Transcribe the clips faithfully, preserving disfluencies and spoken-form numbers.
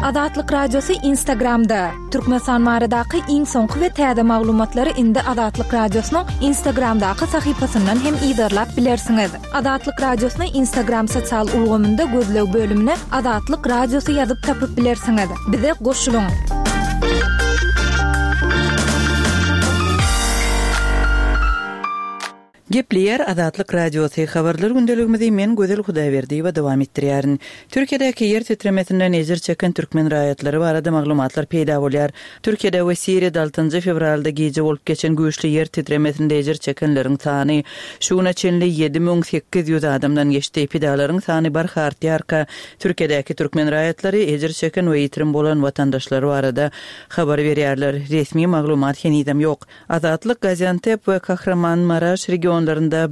Azatlyk Radiosy Instagramda. Türkmenistan baradaky iň soňky we täze maglumatlary indi Azatlyk Radiosynyň Instagramdaky sahypasyndan hem yzarlap bilersiňiz. Azatlyk Radiosyny Instagram sosial ulgamynda gözleg bölümine Azatlyk Radiosy ýazyp tapyp bilersiňiz. Bize goşulyň. Gepleýär Azatlyk Radiosy habarlar gündeligimizi men Gözel Hudaýberdiýewa dowam etdirýärin. Türkiýedäki ýer titremesinden ejir çeken türkmen raýatlary barada maglumatlar peýda bolýar. Türkiýede we Siriýada altynjy fewralda gije bolup geçen güýçli ýer titremesinde ejir çekenleriň sany şu güne çenli ýedi müň sekiz ýüz adamdan geçdi. Pidalaryň sany barha artýarka, Türkiýedäki türkmen raýatlary ejir çeken we ýitirim bolan watandaşlary barada habar berýärler. Resmi maglumat henizem ýok. Azatlyk Gaziantep we Kahramanmaraş regionlarynda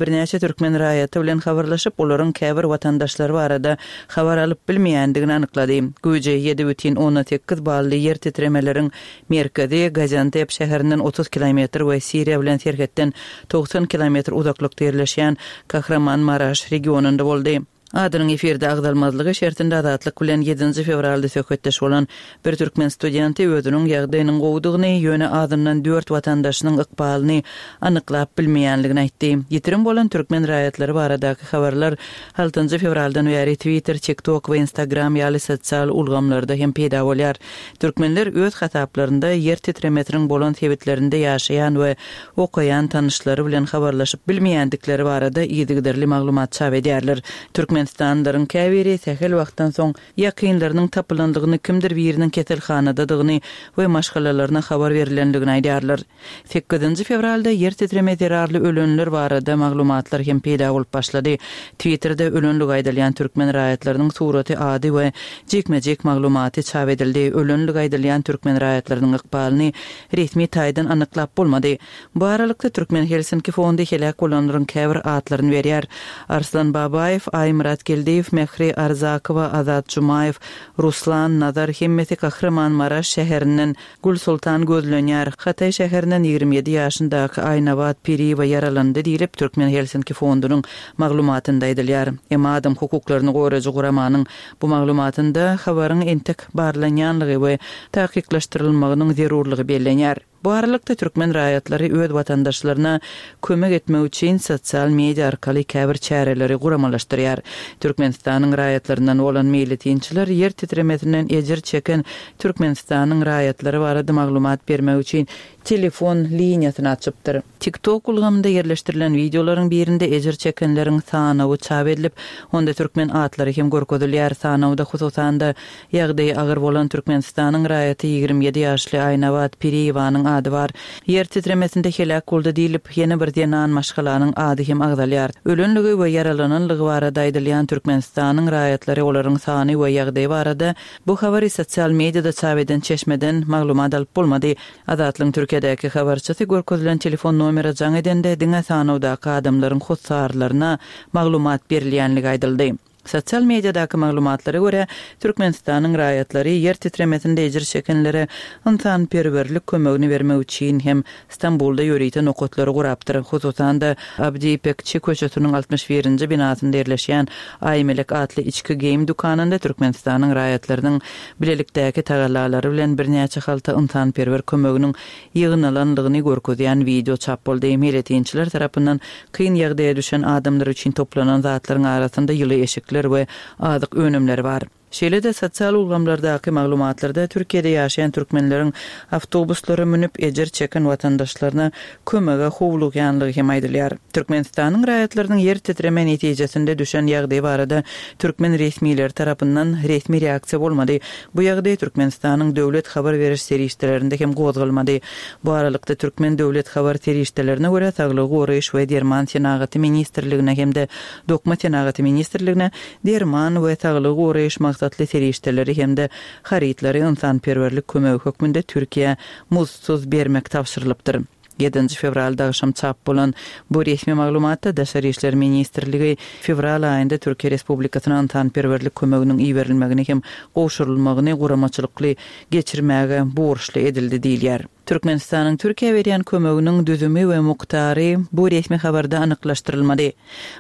birnäçe türkmen raýaty bilen habarlaşyp, olaryň käbir watandaşlary barada habar alyp bilmeýändigini anyklady. Güýji ýedi bütin ondan sekiz bally ýer titremeleriň merkezi Gaziantep şäherinden otuz kilometr we Siriýa bilen serhetden togsan kilometr uzaklykda ýerleşýän Kahramanmaraş regionynda boldy. Adynyň efirde agzalmazlygy şertinde Azatlyk bilen ýedinji fewralda söhbetdeş bolan bir türkmen studenti özüniň ýagdaýynyň gowudygyny, ýöne azyndan dört watandaşynyň ykbalyny anyklap bilmeýänligini aýtdy. Ýitirim bolan türkmen raýatlary baradaky habarlar altynjy fewraldan bäri Twitter, TikTok we Instagram ýaly sosial ulgamlarda hem peýda bolýar. Türkmenler öz hasaplarynda ýer titremesiniň bolan sebitlerinde ýaşaýan we okaýan tanyşlary bilen habarlaşyp bilmeýändikleri barada yzygiderli maglumat çap edýärler. Türkmenistanlylaryň käbiri sähel wagtdan soň ýakynlarynyň tapylandygyny, kimdir biriniň keselhanadadygyny we maşgalalaryna habar berilendigini aýdýarlar. Sekizinji fewralda ýer titreme zerarly ölenler barada maglumatlar hem peýda bolup başlady. Twitterde ölenligi aýdylýan türkmen raýatlarynyň suraty, ady we jikme-jik maglumaty çap edildi. Ölenligi aýdylýan türkmen raýatlarynyň ykbalyny resmi taýdan anyklap bolmady. Bu aralykda Türkmen Helsinki fondy heläk bolanlaryň käbir atlaryny berýär. Arslan Babaýew, Aýmyrat Geldiýew, Mähri Arzakowa, Azat Jumaýew, Ruslan Nazar hemmesi Kahramanmaraş şäherinden Gülsultan gözlenýär. Hatay şäherinden ýigrimi ýedi ýaşyndaky Aýnabat Piriýewa ýaralandy diýlip Türkmen Helsinki fondunyň maglumatynda aýdylýar. Emma adam hukuklaryny goraýjy guramanyň bu maglumatynda habaryň entek barlanýanlygy we takyklaşdyrylmagynyň zerurlygy bellenýär. Bu aralykda türkmen raýatlary öz watandaşlaryna kömek etmek üçin sosial media arkaly käbir çäreleri guramalaşdyrýar. Türkmenistanyň raýatlaryndan bolan meýletinçiler ýer titremesinden ejir çeken Türkmenistanyň raýatlary barada maglumat bermek üçin telefon liniýasyny açypdyr. TikTok ulgamynda ýerleşdirilen wideolaryň birinde ejir çekenleriň sanawy çap edilip, onda türkmen atlary hem görkezilýär. Sanawda hususan-da ýagdaýy agyr bolan Türkmenistanyň raýaty ýigrimi ýedi ýaşly Aýnabat Piriýewanyň ady bar. Ýer titremesinde heläk boldy diýlip, ýene bir zenan maşgalanyň ady hem agzalýar. Ölenligi we ýaralananlygy barada aýdylýan Türkmenistanyň raýatlary olaryň sany we ýagdaýy barada bu habary sosial mediada çap eden çeşmeden maglumat alyp bolmady. Azatlygyň Türkiýedäki habarçysy görkezilen telefon nomere jaň edende diňe sanawdaky adamlaryň hossarlaryna maglumat berilýänligi aýdyldy. Sosial mediadaky maglumatlara görä, Türkmenistanyň raýatlary ýer titremesinde ejir çekenlere ynsanperwerlik kömegini bermek üçin hem Stambulda ýörite nokatlary gurapdyr. Hususan-da, Abdi İpekçi köçesiniň altmyş birinji binasynda ýerleşýän Aýmelek atly içki geýim dükanynda Türkmenistanyň raýatlarynyň bilelikdäki tagallalary bilen birnäçe halta ynsanperwer kömeginiň ýygnalandygyny görkezýän wideo çap boldy. Meýletinçiler tarapyndan kyn ýagdaýa düşen adamlar üçin toplanan zatlaryň arasynda ýyly eşikler we azyk önümleri bar. Şeýle-de sosial ulgamlardaky maglumatlarda Türkiýede ýaşaýan türkmenleriň awtobuslara münüp ejir çeken watandaşlaryna kömege howlugýanlygy hem aýdylýar. Türkmenistanyň raýatlarynyň ýer titreme netijesinde düşen ýagdaýy barada türkmen resmileri tarapyndan resmi reaksiýa bolmady. Bu ýagdaý Türkmenistanyň döwlet habar beriş serişdelerinde hem gozgalmady. Bu aralykda türkmen döwlet habar serişdelerine görä Saglygy goraýyş we derman senagaty ministrligine hem-de Dokma senagaty ministrligine derman we saglygy goraýyş maksatly serişdeleri hem-de harytlary ynsanperwerlik kömegi hökmünde Türkiýä muzdsuz bermek tabşyrylypdyr. Ýedinji fewralda agşam çap bolan bu resmi maglumatda Daşary işler ministrligi fewral aýynda Türkiýe Respublikasyna ynsanperwerlik kömeginiň iberilmegini hem gowşurylmagyny guramaçylykly geçirmäge borçly edildi diýilýär. Türkmenistanyň Türkiýä berýän kömeginiň düzümi we mukdary bu resmi habarda anyklaşdyrylmady.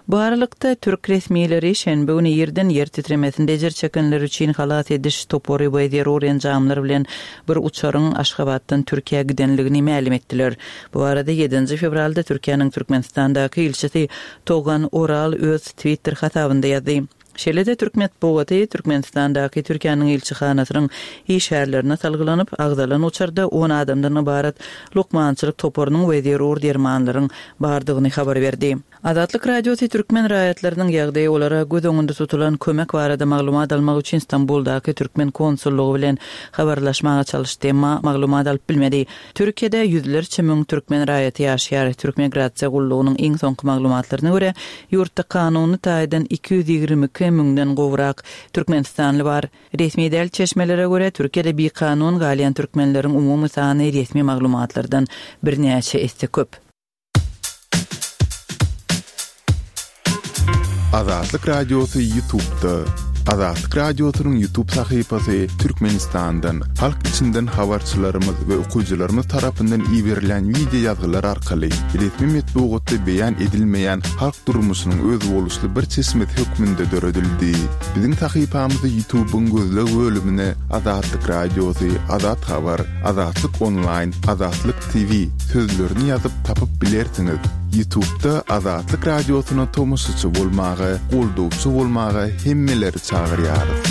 Bu aralykda, türk resmileri şenbe güni irden ýer titremesinde ejir çekenler üçin halas ediş topary we zerur enjamlar bilen bir uçaryň Aşgabatdan Türkiýä gidenligini mälim etdiler. Bu barada ýedinji fewralda Türkiýäniň Türkmenistandaky ilçisi Togan Oral öz Twitter hasabynda ýazdy. Şeýle-de türk metbugaty Türkmenistandaky Türkiýäniň ilçihanasynyň işgärlerine salgylanyp, agzalan uçarda on adamdan ybarat lukmançylyk toparynyň we zerur dermanlaryň bardygyny habar berdi. Azatlyk Radiosy türkmen raýatlarynyň ýagdaýy, olara göz öňünde tutulan kömek barada maglumat almak üçin Stambuldaky türkmen konsullygy bilen habarlaşmaga çalyşdy, emma maglumat alyp bilmedi. Türkiýede ýüzlerçe müň türkmen raýaty ýaşaýar. Türk Migrasiýa gullugynyň iň soňky maglumatlaryna görä, ýurtda kanuny taýdan iki ýüz ýigrimi iki müňden gowrak türkmenistanly bar. Resmi däl çeşmelere görä, Türkiýede bikanun galýan türkmenleriň umumy sany resmi maglumatlardan birnäçe esse köp. Azatlyk Radiosy YouTube'da. Azatlyk Radiosynyň YouTube sahypasy Türkmenistandan, halk içinden habarçylarymyz we okyjylarymyz tarapyndan iberilen wideo ýazgylar arkaly resmi metbugatda beýan edilmeýän halk durmuşynyň özboluşly bir çeşmesi hökmünde döredildi. Biziň sahypamyzy YouTube'yň gözleg bölümine Azatlyk Radiosy, Azat Habar, Azatlyk Online, Azatlyk T V sözlerini ýazyp tapyp bilersiňiz. YouTube'da Azatlyk Radiosyna tomaşaçy bolmaga, goldawçy bolmaga hemmeleri çagyrýarys.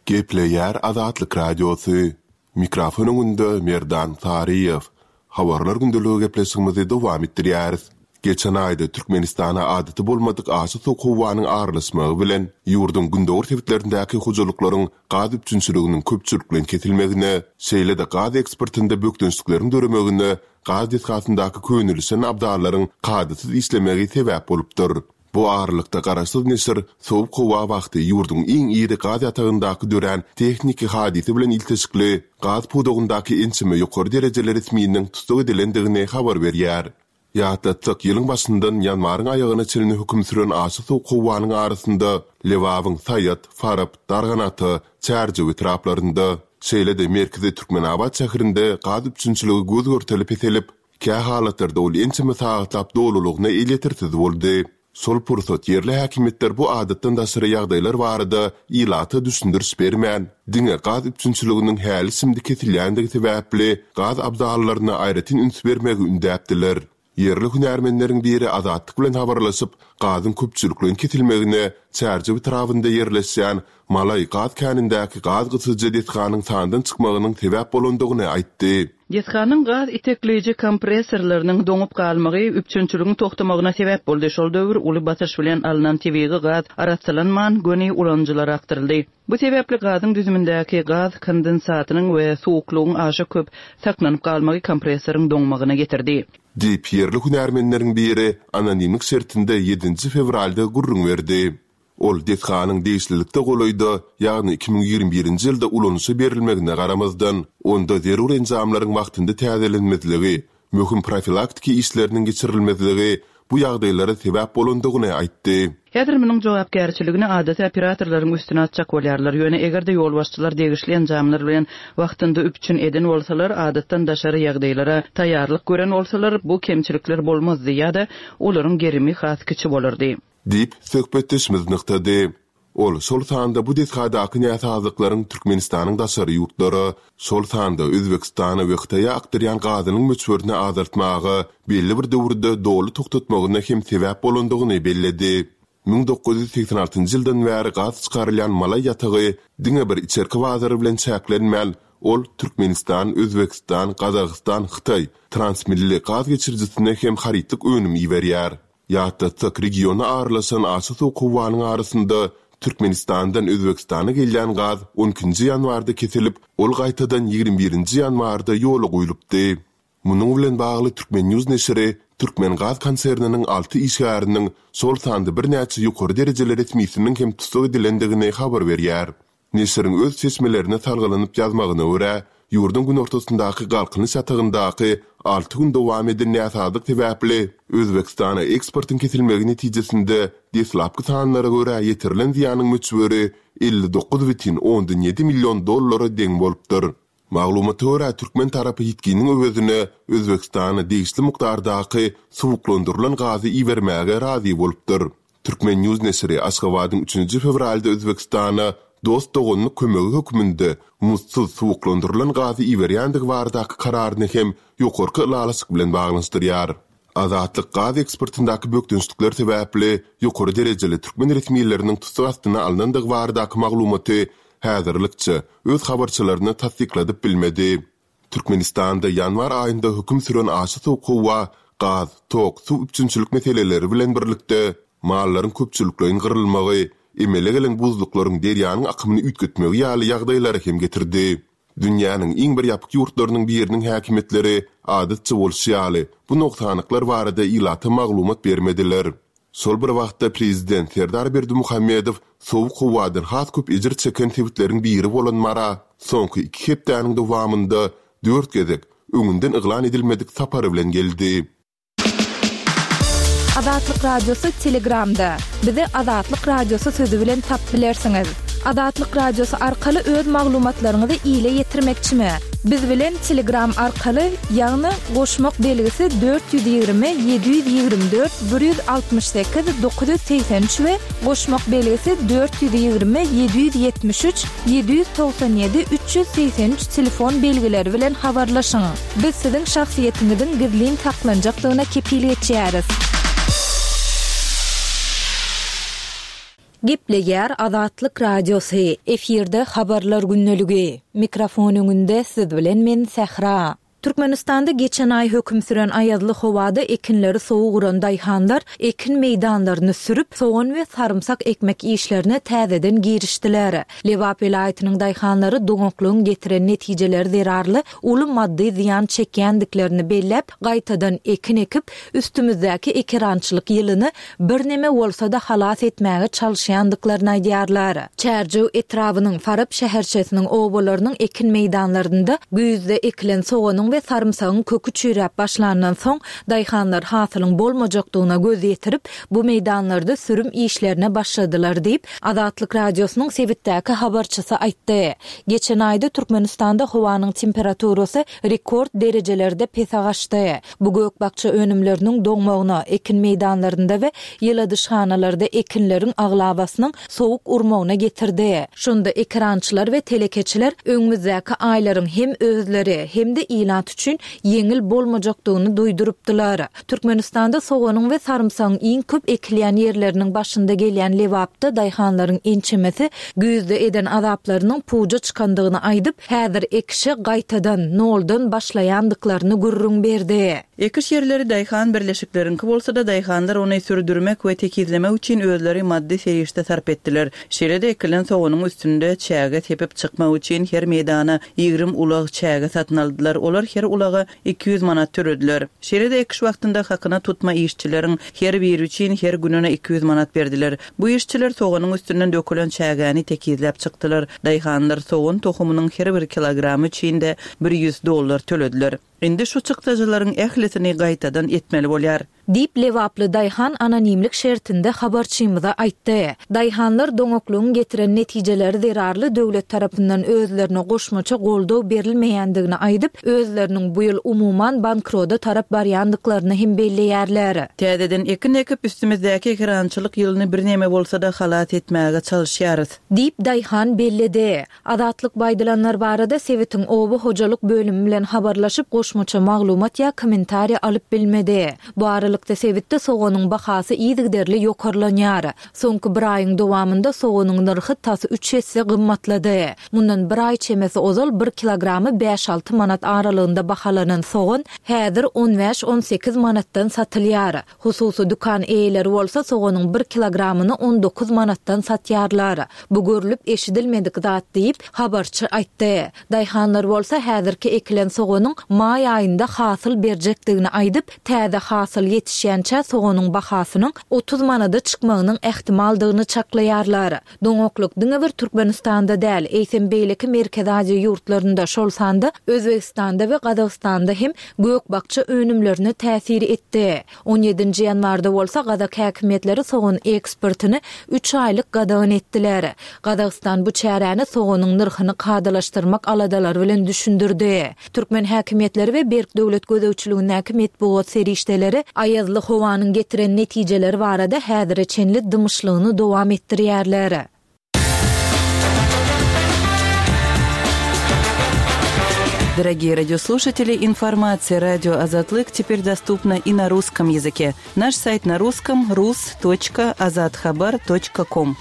Gepleýär Azatlyk Radiosy. Mikrofon öňünde Merdan Saryýew. Habarlar gündeligi gepleşigimizi dowam etdirýäris. Geçen aýda Türkmenistana adaty bolmadyk aşa sowuk howanyň aralaşmagy bilen ýurduň gündogar sebitlerindäki hojalyklaryň gaz üpjünçiliginiň köpçülikleýin kesilmegine, şeýle-de gaz eksportynda bökdençlikleriň döremegine gaz desgasyndaky könelişen abdallaryň kadasyz işlemegi sebäp bolupdyr. Bu aralykda garaşsyz neşir sowuk howa wagty ýurduň iň iri gaz ýatagyndaky dörän tehniki hadysa bilen ilteşikli gaz pudagyndaky ençeme ýokary derejeli resminiň tussag edilendigini habar berýär. Ýatlatsak, ýylyň başyndan ýanwaryň aýagyna çenli höküm süren aşa sowuk howanyň arasynda Lebabyň Saýat, Farap, Darganata, Çärjew etraplarynda, şeýle-de merkezi Türkmenabat şäherinde gaz üpjünçiligi göz görteli peselip, kä halatlarda ol ençeme sagatlap dolulygyna elýetersiz boldy. Şol pursat ýerli häkimiýetler bu adatdan daşary ýagdaýlar barada ilata düşündiriş bermän, diňe gaz üpjünçiliginiň häli şimdi kesilýändigi sebäpli gaz abzallaryna aýratyn üns bermegi ündäpdiler. Ýerli hünärmenleriň biri Azatlyk bilen habarlaşyp, gazyň köpçülikleýin kesilmegine Çärjew etrabynda ýerleşýän Malaý gaz känindäki gaz gysyjy desganyň sandan çykmagynyň sebäp bolandygyny aýtdy. Desganyň gaz itekleýji kompressorlarynyň doňup galmagy üpjünçiligiň toxtamagyna sebäp boldy. Şol döwür uly basyş bilen alnan tebigy gaz arassalanman göni ulanyjylara akdyryldy. Bu sebäpli gazyň düzümindäki gaz kondensatynyň we suwuklygyň aşa köp saklanyp galmagy kompressoryň doňmagyna getirdi. Diýip ýerli hünärmenleriň biri anonimlik şertinde ýedinji fewralda gürrüň berdi. Ol desganyň degişlilikde golaýda, ýagny iki müň ýigrimi birinji ýylda ulanyşa berilmegine garamazdan, onda zerur enjamlaryň wagtynda täzelenmezligi, möhüm profilaktiki işleriniň geçirilmezligi bu ýagdaýlara sebäp bolandygyny aýtdy. Häzir munuň jogapkärçiligini adaty operatorlaryň üstüne atjak bolýarlar. Ýöne eger-de ýolbaşçylar degişli enjamlar bilen wagtynda üpjün eden bolsalar, adatdan daşary ýagdaýlara taýýarlyk gören bolsalar, bu kemçilikler bolmazdy ýa-da olaryň gerimi has kiçi bolardy. Diýip söhbetdeşimiz nygtady. Ol şol sanda bu desgadaky näsazlyklaryň Türkmenistanyň daşary ýurtlara, şol sanda Özbekistana we Hytaýa akdyrýan gazynyň möçberini azaltmaga belli bir döwürde doly togtatmagyna hem sebäp bolandygyny belledi. Müň dokuz ýüz seksen altynjy ýyldan bäri gaz çykarylýan Malaý ýatagy diňe bir içerki bazary bilen çäklenmän, ol Türkmenistan, Özbekistan, Gazagystan, Hytaý transmilli gaz geçirijisine hem harytlyk önüm iberýär. Ýatlatsak, regiona aralaşan aşa sowuk howanyň arasynda Türkmenistandan Özbekistana gelýän gaz on ikinji ýanwarda kesilip, ol gaýtadan ýigrimi birinji ýanwarda ýola goýlupdy. Munuň bilen bagly Türkmen News neşiri Türkmen Gaz konserniniň alty işgäriniň şol sanda birnäçe ýokary derejeli resmisiniň hem tussag edilendigini habar berýär. Neşiriň öz çeşmelerine salgylanyp ýazmagyna görä, ýurduň günortasyndaky Galkynyş ýatagyndaky alty gün dowam eden näsazlyk sebäpli Özbegistana eksportyň kesilmegi netijesinde deslapky sanlara görä ýetirilen zyýanyň möçberi elli dokuz bütin ondan ýedi million dollara deň bolupdyr. Maglumata görä, türkmen tarapy ýitginiň öwezine Özbegistana degişli mukdardaky suwuklandyrylan gazy ibermäge razy bolupdyr. Türkmen News neşiri Aşgabadyň üçünji fewralda Özbegistana dost-doganlyk kömegi hökmünde muzdsuz suwuklandyrylan gazy iberýändigi baradaky kararyny hem ýokarky ylalaşyk bilen baglanyşdyrýar. Azatlyk gaz eksportyndaky bökdençlikler sebäpli ýokary derejeli türkmen resmileriniň tussag astyna alnandygy baradaky maglumaty häzirlikçe öz habarçylaryna tassykladyp bilmedi. Türkmenistanda ýanwar aýynda höküm süren aşa sowuk howa gaz, tok, suw üpjünçilik meseleleri bilen birlikde mallaryň köpçülikleýin gyrylmagy, emele gelen buzluklaryň derýanyň akymyny üýtgetmegi ýaly ýagdaýlary hem getirdi. Dünýäniň iň bir ýapyk ýurtlarynyň biriniň häkimiýetleri adatça bolşy ýaly bu nogsanlyklar barada ilata maglumat bermediler. Şol bir wagtda prezident Serdar Berdimuhamedow sowuk howadan has köp ejir çeken sebitleriň biri bolan Mara soňky iki hepdäniň dowamynda dört gezek öňünden yglan edilmedik sapary bilen geldi. Azatlyk Radiosy Telegramda. Bizi Azatlyk Radiosy sözi bilen tap bilersiňiz. Azatlyk Radiosy arkaly öz maglumatlaryňyzy ile ýetirmekçimi? Biz bilen Telegram arkaly, ýagny goşmak belgisi dört ýüz ýigrimi ýedi ýüz ýigrimi dört bir ýüz altmyş sekiz dokuz ýüz segsen üç we goşmak belgisi dört ýüz ýigrimi ýedi ýüz ýetmiş üç ýedi ýüz togsan ýedi üç ýüz segsen üç telefon belgileri bilen habarlaşyň. Biz siziň şahsyýetiňiziň gizlin saklanjakdygyna kepil geçýäris. Gepleýär Azatlyk Radiosy. Efirde habarlar gündeligi. Mikrofon öňünde siz bilen men Sähra. Türkmenistanda geçen aý höküm süren aýazly howada ekinleri sowuk uran daýhanlar ekin meýdanlaryny sürüp, sogan we sarymsak ekmek işlerine täzeden girişdiler. Lebap welaýatynyň daýhanlary doňaklygyň getiren netijeleri zerarly uly maddy zyýan çekýändiklerini belläp, gaýtadan ekin ekip, üstümizdäki ekerançylyk ýylyny birneme bolsa-da halas etmäge çalyşýandyklaryny aýdýarlar. Çärjew etrabynyň Farap şäherçesiniň obalarynyň ekin meýdanlarynda güýzde ekilen soganyň we sarymsagyň köki çüýräp başlandan soň daýhanlar hasylyň bolmajakdygyna göz ýetirip, bu meýdanlarda sürüm işlerine başladylar diýip, Azatlyk Radiosynyň sebitdäki habarçysy aýtdy. Geçen aýda Türkmenistanda howanyň temperaturasy rekord derejelerde pese gaçdy. Bu gök-bakja önümleriniň doňmagyna, ekin meýdanlarynda we ýyladyşhanalarda ekinleriň aglabasynyň sowuk urmagyna getirdi. Şonda ekerançylar we telekeçiler öňümizdäki aýlaryň hem özleri hem-de ilat üçin ýeňil bolmajakdygyny duýdurypdylar. Türkmenistanda soganyň we sarymsagyň iň köp ekilýän ýerleriniň başynda gelýän Lebapda daýhanlaryň ençemesi güýzde eden azaplarynyň puja çykandygyny aýdyp, häzir ekişe gaýtadan, noldan başlaýandyklaryny gürrüň berdi. Ekiş ýerleri daýhan birleşikleriňki bolsa-da daýhanlar ony sürdürmek we tekizlemek üçin özleri maddy serişde sarp etdiler. Şeýle-de ekilen soganyň üstünde çäge sepip çykmak üçin her meýdana ýigrimi ulag çäge satyn aldylar. Olar her ulaga iki ýüz manat törediler. Şeýle-de ekiş wagtynda hakyna tutma işçileriň her biri üçin her gününe iki ýüz manat berdiler. Bu işçiler soganyň üstünden dökülen çägäni tekizläp çykdylar. Daýhanlar sogan tohumynyň her bir kilogramy üçin de bir ýüz dollar tölediler. Indi şu çykdajylaryň ählisini gaýtadan etmeli bolýar. Diýip Lebaply daýhan anonimlik şertinde habarçymyza aýtdy. Daýhanlar doňaklygyň getiren netijeleri zerarly döwlet tarapyndan özlerine goşmaça goldaw berilmeýändigini aýdyp, özleriniň bu ýyl umuman bankroda tarap barýandyklaryny hem belleýärler. Täzeden ekin ekip üstümizdäki ekerançylyk ýylyny birneme bolsa-da halas etmäge çalyşýarys. Diýip daýhan belledi. Azatlyk baýdylanlar barada sebitiň oba hojalyk bölümi bilen habarlaşyp goşmaça maglumat ýa kommentariýa alyp bilmedi. Bu aralykda sebitde soganyň bahasy yzygiderli ýokarlanýar. Soňky bir aýyň dowamynda soganyň nyrhy tas üç esse gymmatlady. Mundan bir aý çemesi ozal bir kilogramy bäş-alty manat aralygynda bahalanan sogan häzir on bäş-on sekiz manatdan satylýar. Hususy dükan eýeleri bolsa soganyň bir kilogramyny on dokuz manatdan satýarlar. Bu görülip eşidilmedik zat diýip habarçy aýtdy. Daýhanlar bolsa häzirki ekilen soganyň maý aýynda hasyl berjekdigini aýdyp, täze hasyl ýetişýänçä soganyň bahasynyň otuz manada çykmagynyň ähtimaldygyny çaklaýarlar. Doňaklyk diňe bir Türkmenistanda däl, eýsem beýleki Merkezi Aziýa ýurtlarynda, şol sanda Özbegistanda we Gazagystanda hem gök-bakja önümlerine täsir etdi. On ýedinji ýanwarda bolsa gazak häkimiýetleri sogan eksportyny üç aýlyk gadagan etdiler. Gazagystan bu çäräni soganyň nyrhyny kadalaşdyrmak aladalary bilen düşündirdi. Türkmen häkimiýetleri we berk döwlet gözegçiligindäki metbugat serişdeleri aýazly howanyň getiren netijeleri barada häzire çenli dymyşlygyny dowam etdirýärler. Дорогие радиослушатели, информация радио Азатлык теперь доступна и на русском языке. Наш сайт на русском rus точка azathabar точка ком.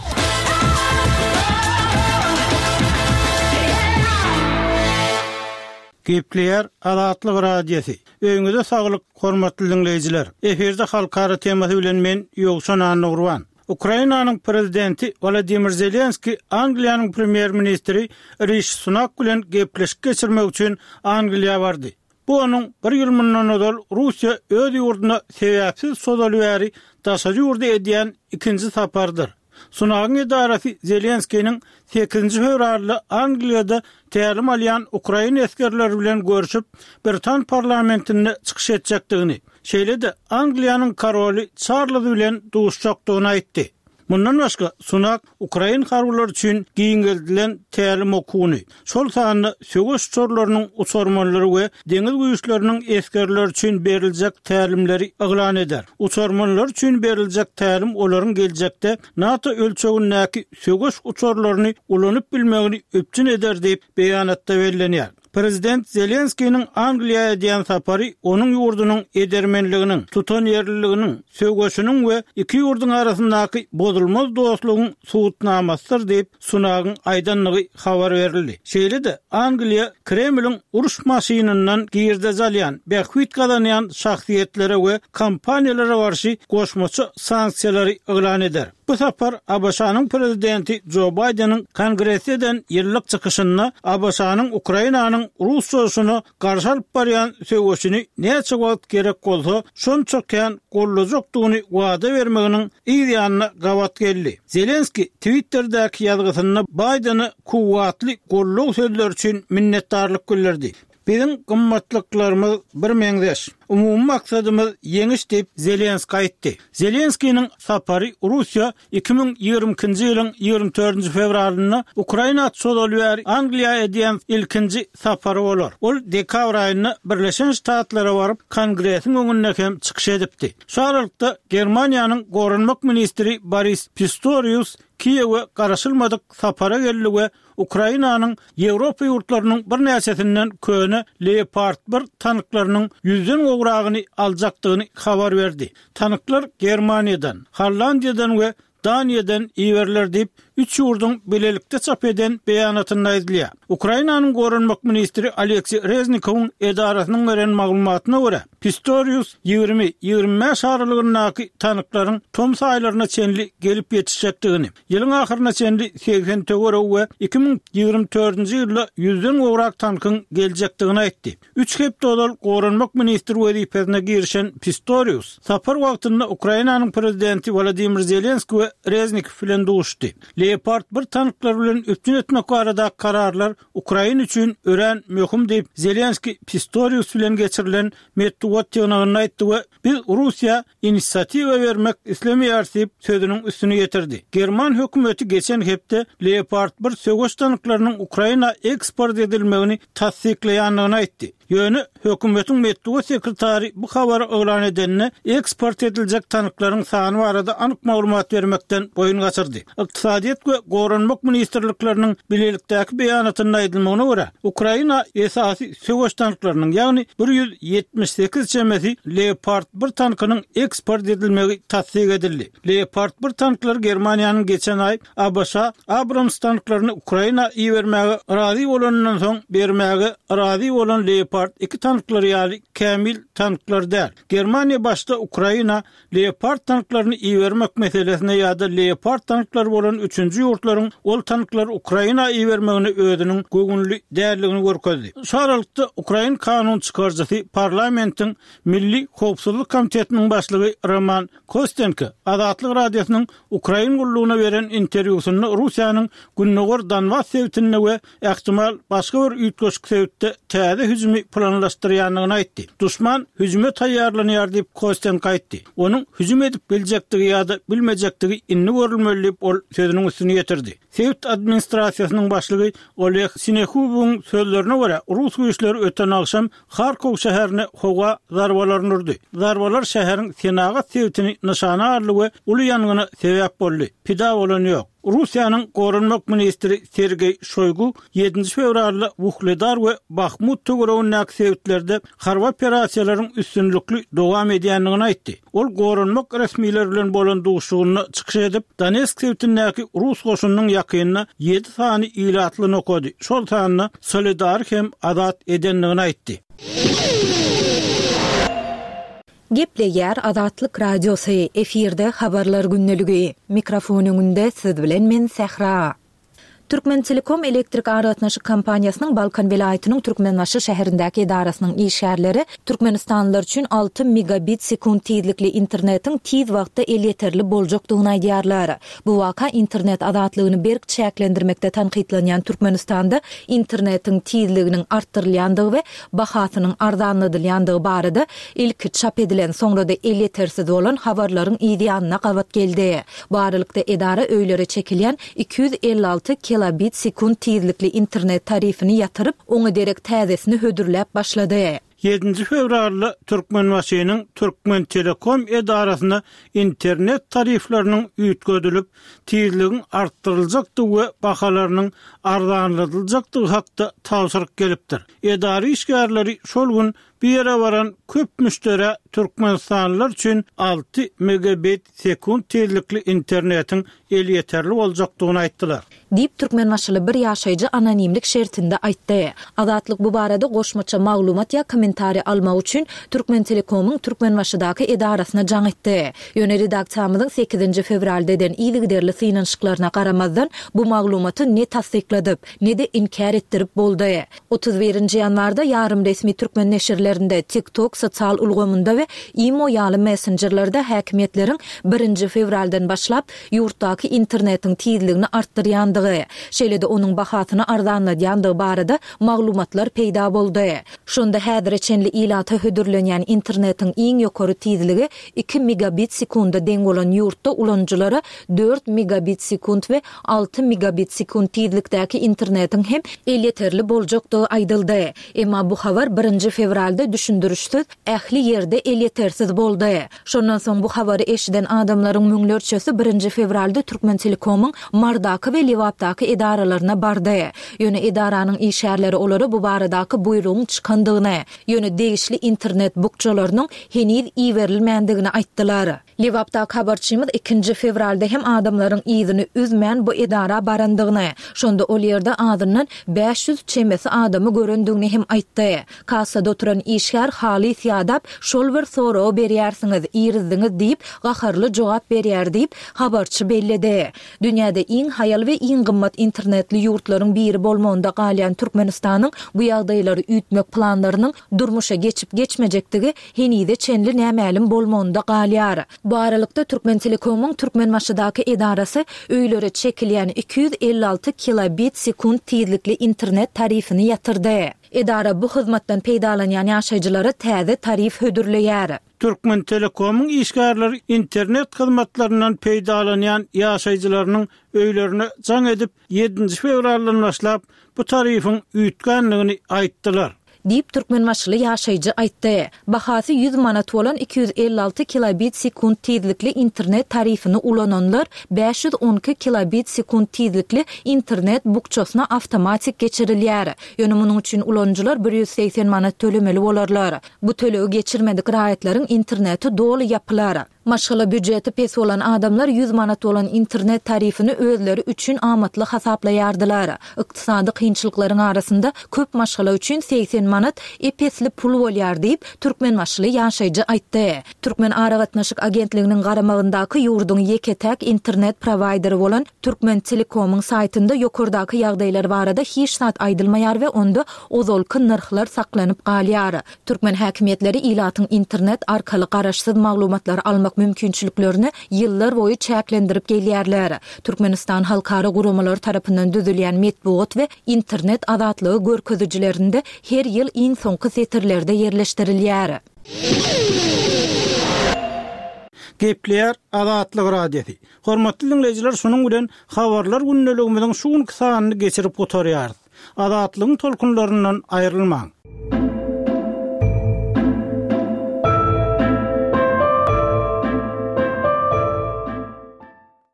Gepleýär Azatlyk Radiosy. Öýüňize saglyk, hormatly dinleýjiler. Efirde halkara temasy bilen men Ýowşan Annagurban. Ukrainanyň prezidenti Wladimir Zelenski Angliýanyň premýer-ministri Rishi Sunak bilen gepleşik geçirmek üçin Angliýa bardy. Bu onuň bir ýyl mundan ozal Russiýa öz ýurduna sebäpsiz sozaly bäri daşary ýurda edýän ikinji sapardyr. Sunagyň edarasy Zelenskiniň sekizinji fewralda Angliýada tälim alýan Ukraina esgerleri bilen görüşip, Britan parlamentinde çykyş etjekdigini, şeýle-de Angliýanyň koroly Çarlz bilen duşjakdygyny aýtdy. Mundan başga Sunak Ukraina harbylary üçin giňeldilen tälim okuwyny, şol sanda söweş uçarlarynyň uçarmanlary we deňiz güýçleriniň esgerleri üçin beriljek tälimleri yglan eder. Uçarmanlar üçin beriljek tälim olaryň geljekde NATO ölçegindäki söweş uçarlaryny ulanyp bilmegini üpjün eder diýip beýanatda bellenýär. Prezident Zelenskiniň Angliýa edýän sapary onuň ýurdunyň edermenliginiň, tutanýerliliginiň, söweşiniň we iki ýurduň arasyndaky bozulmaz dostlugyň subutnamasydyr diýip Sunagyň aýdanlygy habar berildi. Şeýle-de Angliýa Kremliň uruş maşynyndan girdeji alýan, bähbit gazanýan şahsyýetlere we kompaniýalara garşy goşmaça sanksiýalary yglan eder. Bu sapar A B Ş-nyň prezidenti Joe Biden'iň Kongresde eden ýyllyk çykyşynda A B Ş-nyň Ukrainanyň Rus çoşuna garşy alyp barýan söweşini näçe wagt gerek bolsa, şonça kän gollajakdygyny wada bermeginiň yz ýanyna gabat geldi. Zelenski Twitter'däki ýazgysynda Biden'i kuwwatly gollag sözleri üçin minnetdarlyk bildirdi. Biziň gymmatlyklarymyz bir meňzeş. Umumy maksadymyz ýeňiş diýip Zelenski aýtdy. Zelenskiniň sapary Russiýa iki müň ýigrimi ikinji ýylyň ýigrimi dördünji fewralynda Ukraina çozaly bäri Angliýa edýän ilkinji sapary bolar. Ol dekabr aýynda Birleşen Ştatlara baryp Kongresiň öňünde hem çykyş edipdi. Şu aralykda Germaniýanyň goranmak ministri Boris Pistorius Kiýewe garaşylmadyk sapara geldi we Ukrainanyň Ýewropa ýurtlarynyň birnäçesinden köne Leopard bir tanklarynyň ýüzden gowragyny aljakdygyny habar berdi. Tanklar Germaniýadan, Hollandiýadan we Daniýadan iberiler diýip, üç ýurduň bilelikde çap eden beýanatynda aýdylýar. Ukrainanyň goranmak ministri Aleksiý Reznikowyň edarasynyň beren maglumatyna görä, Pistorius ýigrimi ýigrimi bäş aralygyndaky tanklaryň tomus aýlaryna çenli gelip ýetişjekdigini, ýylyň ahyryna çenli segsen töweregi we iki müň ýigrimi dördünji ýylda ýüzden gowrak tankyň geljekdigini aýtdy. Üç hepde ozal goranmak ministri wezipesine girişen Pistorius sapar wagtynda Ukrainanyň prezidenti Wladimir Zelenski we Reznikow bilen duşdy. Leopard bir tanklar bilen üpjün etmek barada kararlar Ukraina üçin örän möhüm diýip Zelenski Pistorius bilen geçirilen metbugat ýygnagynda aýtdy we biz Russiýa inisiatiwa bermek islemeýäris diýip sözüniň üstüni getirdi. German hökümeti geçen hepde Leopard bir söweş tanklarynyň Ukraina eksport edilmegini tassyklaýandygyny aýtdy. Ýöne hökümetiň metbugat sekretary bu habary yglan edenine eksport ediljek tanklaryň sany barada anyk maglumat bermekden boýun gaçyrdy. Ykdysadyýet we goranmak ministrlikleriniň bilelikdäki beýanatynda aýdylmagyna görä, Ukraina esasy söweş tanklarynyň, ýagny bir ýüz ýetmiş sekiz çemesi Leopard bir tankynyň eksport edilmegi tassyk edildi. Leopard bir tanklary Germaniýanyň geçen aý A B Ş Abrams tanklaryny Ukraina ibermäge razy bolanyndan soň bermäge razy bolan Leopard Leopard iki tanklary ýaly kämil tanklar däl. Germaniýa başda Ukraina Leopard tanklaryny ibermek meselesine ýa-da Leopard tanklary bolan üçünji ýurtlaryň ol tanklary Ukraina ibermegine özüniň göwünli däldigini görkezdi. Şu aralykda ukrain kanun çykaryjysy parlamentiň Milli howpsuzlyk komitetiniň başlygy Roman Kostenko Azatlyk Radiosynyň Ukrain gullugyna beren interwýusynda Russiýanyň gündogar Donbas sebitinde we ähtimal başga bir üýtgeşik sebitde täze hüjümi planlaşdyrýandygyny aýtdy. Duşman hüjüme taýýarlanýar diýip, Kostenko aýtdy. Onuň hüjüm edip biljekdigi ýa-da bilmejekdigi indi görülmeli diýip, ol sözüniň üstüni ýetirdi. Sebit administrasiýasynyň başlygy Oleg Sinehubowyň sözlerine görä, rus güýçleri öten agşam Harkow şäherine howa zarbalaryny urdy. Zarbalar şäheriň senagat sebitini nyşana aldy we uly ýangyna sebäp boldy. Pida bolan ýok. Russiýanyň goranmak ministri Sergeý Şoýgu ýedinji fewralda Wuhledar we Bahmut töweregindäki sebitlerde harby operasiýalaryň üstünlikli dowam edýändigini aýtdy. Ol goranmak resmileri bilen bolan duşuşygynda çykyş edip, Donetsk sebitindäki rus goşunynyň ýakynda ýedi sany ilatly nokady, şol sanda Soledary hem azat edendigini aýtdy. Gepleýär Azatlyk Radiosy, efirde Habarlar gündeligi. Mikrofon öňünde siz bilen men Sähra. Türkmentelekom elektrik aragatnaşyk kompaniýasynyň Balkan welaýatynyň Türkmenbaşy şäherindäki edarasynyň işgärleri türkmenistanlylar üçin alty megabit sekunt tizlikli internetiň tiz wagtda elýeterli boljakdygyny aýdýarlar. Bu waka internet azatlygyny berk çäklendirmekde tankytlanýan Türkmenistanda internetiň tizliginiň artdyrylýandygy we bahasynyň arzanladylýandygy barada ilki çap edilen, soňra-da elýetersiz bolan habarlaryň yzýanyna gabat geldi. Bu aralykda edara öýlere çekilýän iki ýüz elli alty kilobit sekunt tizlikli internet tarifini ýatyryp, oňa derek täzesini hödürläp başlady. Ýedinji fewralda Türkmenbaşynyň Türkmentelekom edarasyna internet tarifleriniň üýtgedilip, tizligiň artdyryljakdygy we bahalarynyň arzanladyljakdygy hakda tabşyryk gelipdir. Edara işgärleri şol gün bu ýere baran köp müşderä türkmenistanlylar üçin alty megabit sekunt tizlikli internetiň elýeterli boljakdygyny aýtdylar. Diýip, türkmenbaşyly bir ýaşaýjy anonimlik şertinde aýtdy. Azatlyk bu barada goşmaça maglumat ýa kommentariý almak üçin Türkmentelekomyň Türkmenbaşydaky edarasyna jaň etdi. Ýöne redaksiýamyzyň sekizinji fewralda eden yzygiderli synanyşyklaryna garamazdan, bu maglumaty ne tassykladyp, ne-de inkär etdirip boldy. Otuz birinji ýanwarda ýarym resmi türkmen neşirlerinde, TikTok sosial ulgamynda we Imo ýaly messenjerlerde häkimiýetleriň birinji fewraldan başlap ýurtdaky internetiň tizligini artdyrýandygy, şeýle-de onuň bahasyny arzanladýandygy barada maglumatlar peýda boldy. Şonda häzire çenli ilata hödürlenýän internetiň iň ýokary tizligi iki megabit sekunda deň bolan ýurtda ulanyjylara dört megabit sekunt we alty megabit sekunt tizlikdäki internetiň hem elýeterli boljakdygy aýdyldy. Emma bu habar birinji fewralda düşündirişsiz ähli ýerde elýetersiz boldy. Şondan soň bu habary eşiden adamlaryň müňlerçesi birinji fewralda Türkmentelekomyň Mardaky we Lebapdaky edaralaryna bardy. Ýöne edaranyň işgärleri olara bu baradaky buýrugyň çykandygyny, ýöne degişli internet bukjalarynyň heniz iberilmändigini aýtdylar. Lebapdaky habarçymyz ikinji fewralda hem adamlaryň yzyny üzmän bu edara barandygyny, şonda ol ýerde azyndan bäş ýüz çemesi adamy görendigini hem aýtdy. Kassada oturan işgär halys ýadap, şol bir soragy berýärsiňiz, irizdiňiz diýip, gaharly jogap berýär diýip, habarçy belledi. Dünýäde iň haýal we iň gymmat internetli ýurtlaryň biri bolmagynda galýan Türkmenistanyň bu ýagdaýlary üýtmek planlarynyň durmuşa geçip-geçmejekdigi henize çenli nämälim bolmagynda galýar. Bu aralykda, Türkmentelekomyň Türkmenbaşydaky edarasy öýlere çekilýän iki ýüz elli alty kilobit sekunt tizlikli internet tarifini ýatyrdy. Edara bu hyzmatdan peýdalanýan ýaşaýjylara täze tarif hödürleýär. Türkmentelekomyň işgärleri internet hyzmatlaryndan peýdalanýan ýaşaýjylarynyň öýlerine jaň edip, ýedinji fewraldan başlap bu tarifiň üýtgändigini aýtdylar. Diýip, türkmenbaşyly ýaşaýjy aýtdy. Bahasy ýüz manat bolan iki ýüz elli alty kilobit sekunt tizlikli internet tarifini ulananlar bäş ýüz on iki kilobit sekunt tizlikli internet bukjasyna awtomatik geçirilýär. Ýöne munuň üçin ulanyjylar bir ýüz segsen manat tölemeli bolarlar. Bu tölegi geçirmedik raýatlaryň interneti doly ýapylar. Maşgala býujeti pes bolan adamlar ýüz manat bolan internet tarifini özleri üçin amatly hasaplaýardylar. Ykdysady kynçylyklaryň arasynda köp maşgala üçin segsen manat manat ep-esli pul bolýar diýip, türkmenbaşyly ýaşaýjy aýtdy. Türkmen aragatnaşyk agentliginiň garamagyndaky ýurduň ýeke-täk internet prowaýderi bolan Türkmentelekomyň saýtynda ýokardaky ýagdaýlar barada hiç zat aýdylmaýar we onda ozalky nyrhlar saklanyp galýar. Türkmen häkimiýetleri ilatyň internet arkaly garaşsyz maglumatlary almak mümkinçiliklerini ýyllar boýy çäklendirip gelýärler. Türkmenistan halkara guramalary tarapyndan düzülýän metbugat we internet azatlygy görkezijilerinde her ýyl iň soňky setirlerde ýerleşdirilýär. Gepleýär Azatlyk Radiosy. Hormatly diňleýjiler, şunuň bilen Habarlar gündeligimiziň şu günki sanyny geçirip gutarýarys. Azatlygyň tolkunlaryndan aýrylmaň!